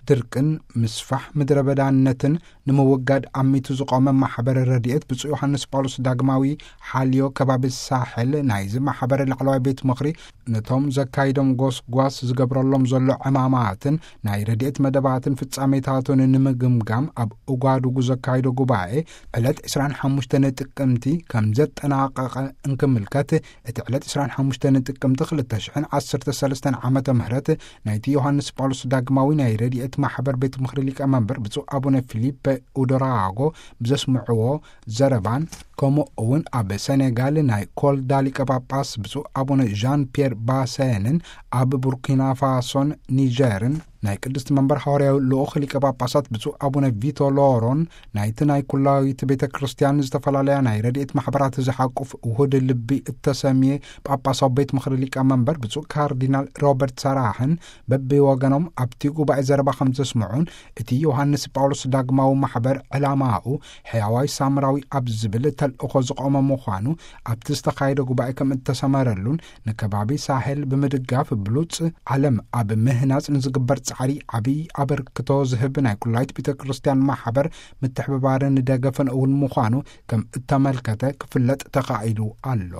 ድርቅን ምስፋሕ ምድረ በዳነትን ንምውጋድ ኣሚቱ ዝቖመ ማሕበር ረድኤት ብፁዕ ዮሃንስ ጳውሎስ ዳግማዊ ሓልዮ ከባቢ ሳሕል ናይዚ ማሕበር ላዕለዋይ ቤት ምኽሪ ነቶም ዘካይዶም ጎስጓስ ዝገብረሎም ዘሎ ዕማማትን ናይ ረድኤት መደባትን ፍጻሜታቱን ንምግምጋም ኣብ ኡጋዱጉ ዘካይዶ ጉባኤ ዕለት ዕስራን ሓሙሽተን ጥቅምቲ ከም ዘጠናቐቐ እንክምልከት፣ እቲ ዕለት ዕስራን ሓሙሽተን ጥቅምቲ ክልተ ሽሕን ዓሰርተ ሰለስተን ዓመተ ምህረት ናይቲ ዮሃንስ ጳውሎስ ዳግማዊ ናይ ረድኤት ማሕበር ቤት ምኽሪ ሊቀመንበር ብፁዕ ኣቡነ ፊሊፐ ኡዶራጎ ብዘስምዕዎ ዘረባን፣ ከምኡ እውን ኣብ ሰኔጋል ናይ ኮልዳ ሊቀ ጳጳስ ብፁዕ ኣቡነ ዣን ፒየር ባሰንን፣ ኣብ ቡርኪና ፋሶን ኒጀርን ናይ ቅድስቲ መንበር ሃዋርያዊ ልኡኽ ሊቀ ጳጳሳት ብፁዕ ኣቡነ ቪቶ ሎሮን፣ ናይቲ ናይ ኩላዊት ቤተ ክርስቲያን ዝተፈላለያ ናይ ረድኤት ማሕበራት ዝሓቁፍ ውሁድ ልቢ እተሰምየ ጳጳሳዊ ቤት ምኽሪ ሊቀ መንበር ብፁዕ ካርዲናል ሮበርት ሰራሕን በብወገኖም ኣብቲ ጉባኤ ዘረባ ከም ዘስምዑን፣ እቲ ዮሃንስ ጳውሎስ ዳግማዊ ማሕበር ዕላማኡ ሕያዋይ ሳምራዊ ኣብ ዝብል ተልእኾ ዝቖመ ምዃኑ ኣብቲ ዝተኻየደ ጉባኤ ከም እተሰመረሉን፣ ንከባቢ ሳሄል ብምድጋፍ ብሉጽ ዓለም ኣብ ምህናጽ ንዝግበር ጻዕሪ ዓብዪ ኣበርክቶ ዝህብ ናይ ኩላይት ቤተ ክርስቲያን ማሕበር ምትሕብባርን ደገፍን እውን ምዃኑ ከም እተመልከተ ክፍለጥ ተኻኢሉ ኣሎ።